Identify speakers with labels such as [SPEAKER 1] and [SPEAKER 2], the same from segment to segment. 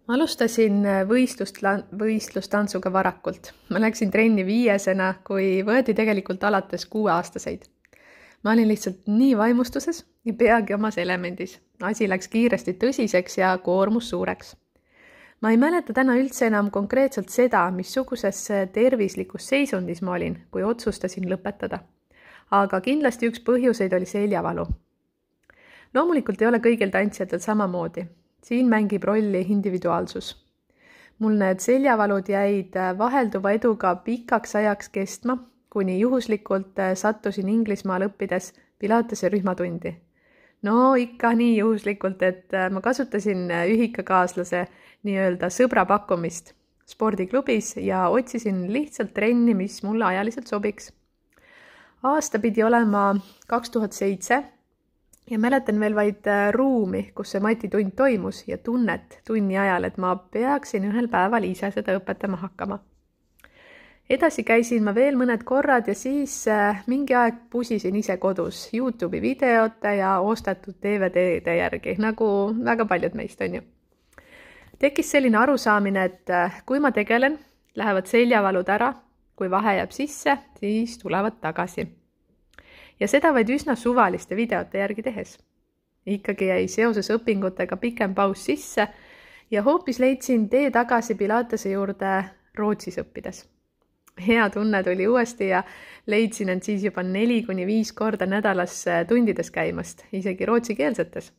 [SPEAKER 1] Alustasin võistlustantsuga varakult. Ma läksin trenni 5-sena, kui võeti tegelikult alates 6-aastaseid. Ma olin lihtsalt nii vaimustuses ja peagi omas elemendis. Asi läks kiiresti tõsiseks ja koormus suureks. Ma ei mäleta täna üldse enam konkreetselt seda, missuguses tervislikus seisundis ma olin, kui otsustasin lõpetada. Aga kindlasti üks põhjuseid oli seljavalu. Loomulikult ei ole kõigil tantsijatel samamoodi. Siin mängib rolli individuaalsus. Mul need seljavalud jäid vahelduva eduga pikaks ajaks kestma, kuni juhuslikult sattusin Inglismaal õppides Pilatese rühmatundi. No ikka nii juhuslikult, et ma kasutasin ühikakaaslase nii-öelda sõbra pakkumist spordiklubis ja otsisin lihtsalt trenni, mis mulle ajaliselt sobiks. Aasta pidi olema 2007 ja mäletan veel vaid ruumi, kus see matitund toimus ja tunnet tunni ajal, et ma peaksin ühel päeval ise seda õpetama hakkama. Edasi käisin ma veel mõned korrad ja siis mingi aeg pusisin ise kodus YouTube'i videote ja ostetud DVD-de järgi, nagu väga paljud meist on ju. Tekkis selline arusaamine, et kui ma tegelen, lähevad seljavalud ära, kui vahe jääb sisse, siis tulevad tagasi. Ja seda vaid üsna suvaliste videote järgi tehes. Ikkagi jäi seoses õpingutega pikem paus sisse ja hoopis leidsin tee tagasi Pilatese juurde Rootsis õppides. Hea tunne tuli uuesti ja leidsin end siis juba 4-5 korda nädalas tundides käimast, isegi rootsikeelsetes.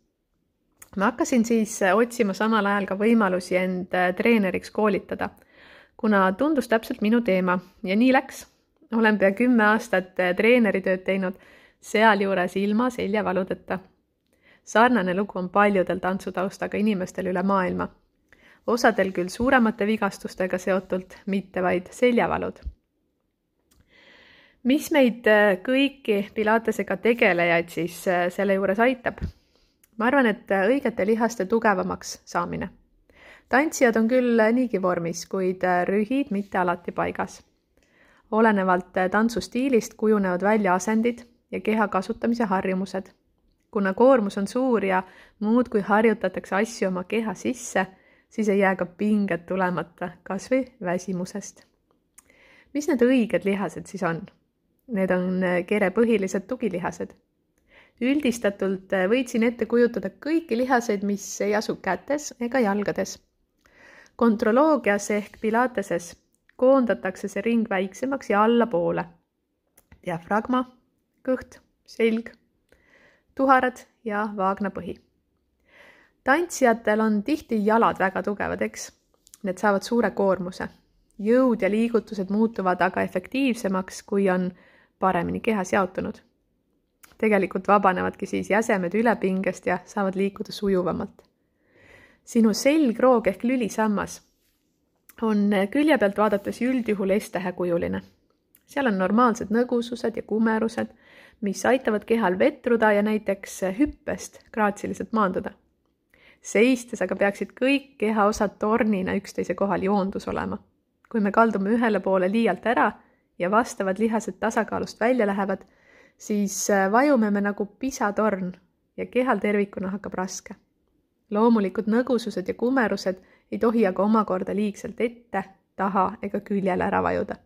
[SPEAKER 1] Ma hakkasin siis otsima samal ajal ka võimalusi end treeneriks koolitada, kuna tundus täpselt minu teema ja nii läks. Olen pea 10 aastat treeneritööd teinud, sealjuures ilma seljavaludeta. Sarnane lugu on paljudel tantsutaustaga inimestel üle maailma. Osadel küll suuremate vigastustega seotult, mitte vaid seljavalud. Mis meid kõiki Pilatesega tegelejaid siis selle juures aitab? Ma arvan, et õigete lihaste tugevamaks saamine. Tantsijad on küll niigi vormis, kuid rühid mitte alati paigas. Olenevalt tantsustiilist kujunevad välja asendid ja keha kasutamise harjumused. Kuna koormus on suur ja muud kui harjutatakse asju oma keha sisse, siis ei jää ka pinged tulemata, kas või väsimusest. Mis need õiged lihased siis on? Need on kerepõhilised tugilihased. Üldistatult võitsin ette kujutada kõiki lihaseid, mis ei asu kätes ega jalgades. Kontroloogias ehk Pilateses koondatakse see ring väiksemaks ja allapoole. Diafragma, kõht, selg, tuharad ja vaagnapõhi. Tantsijatel on tihti jalad väga tugevad, eks? Need saavad suure koormuse. Jõud ja liigutused muutuvad aga efektiivsemaks, kui on paremini kehas jaotunud. Tegelikult vabanevadki siis jäsemed ülepingest ja saavad liikuda sujuvamalt. Sinu selgroog ehk lülisammas on külje pealt vaadates üldjuhul S-tähekujuline. Seal on normaalsed nõgusused ja kumerused, mis aitavad kehal vetruda ja näiteks hüppest graatsiliselt maanduda. Seistes aga peaksid kõik kehaosad tornina üksteise kohal joondus olema. Kui me kaldume ühele poole liialt ära ja vastavad lihased tasakaalust välja lähevad, siis vajume me nagu pisatorn ja kehal tervikuna hakkab raske. Loomulikud nõgusused ja kumerused ei tohi aga omakorda liigselt ette, taha ega küljele ära vajuda.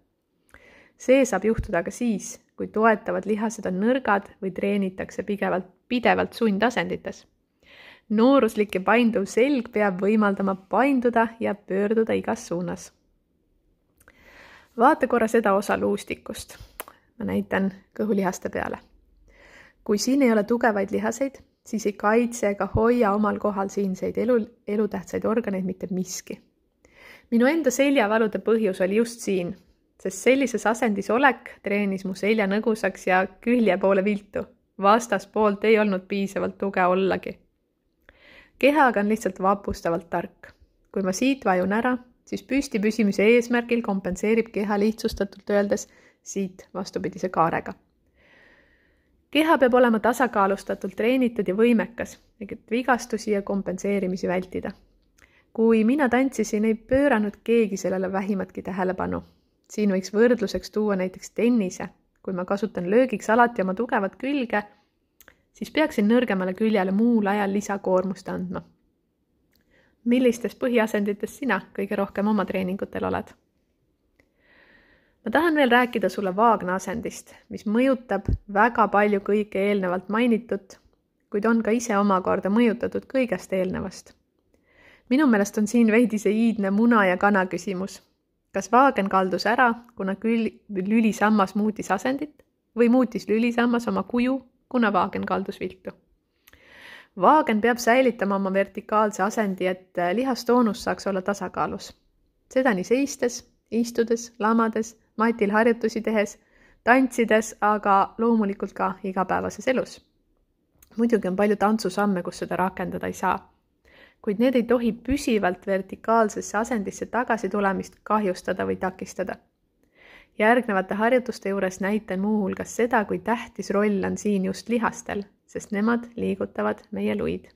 [SPEAKER 1] See saab juhtuda ka siis, kui toetavad lihased on nõrgad või treenitakse pidevalt sundasendites. Nooruslik ja painduv selg peab võimaldama painduda ja pöörduda igas suunas. Vaata korra seda osa luustikust. Ma näitan kõhulihaste peale. Kui siin ei ole tugevaid lihaseid, siis ei kaitse ega hoia omal kohal siinseid elutähtsaid organeid mitte miski. Minu enda seljavalude põhjus oli just siin, sest sellises asendis olek treenis mu selja nõgusaks ja külje poole viltu. Vastaspoolt ei olnud piisavalt tuge ollagi. Keha aga on lihtsalt vapustavalt tark. Kui ma siit vajun ära, siis püsti püsimise eesmärgil kompenseerib keha lihtsustatult öeldes siit vastupidise kaarega. Keha peab olema tasakaalustatult treenitud ja võimekas, et vigastusi ja kompenseerimisi vältida. Kui mina tantsisin, ei pööranud keegi sellele vähimatki tähelepanu. Siin võiks võrdluseks tuua näiteks tennise. Kui ma kasutan löögiks alati oma tugevat külge, siis peaksin nõrgemale küljele muul ajal lisakoormust andma. Millistest põhiasenditest sina kõige rohkem oma treeningutel oled? Ma tahan veel rääkida sulle vaagna asendist, mis mõjutab väga palju kõike eelnevalt mainitut, kuid on ka ise omakorda mõjutatud kõigest eelnevast. Minu meelest on siin veidi see iidne muna ja kana küsimus. Kas vaagen kaldus ära, kuna lülisammas muutis asendit või muutis lülisammas oma kuju, kuna vaagen kaldus viltu? Vaagen peab säilitama oma vertikaalse asendi, et lihastoonus saaks olla tasakaalus. Seda nii seistes, istudes, lamades, matil harjutusi tehes, tantsides, aga loomulikult ka igapäevases elus. Muidugi on palju tantsusamme, kus seda rakendada ei saa, kuid need ei tohi püsivalt vertikaalsesse asendisse tagasi tulemist kahjustada või takistada. Järgnevate harjutuste juures näitan muuhulgas seda, kui tähtis roll on siin just lihastel, sest nemad liigutavad meie luid.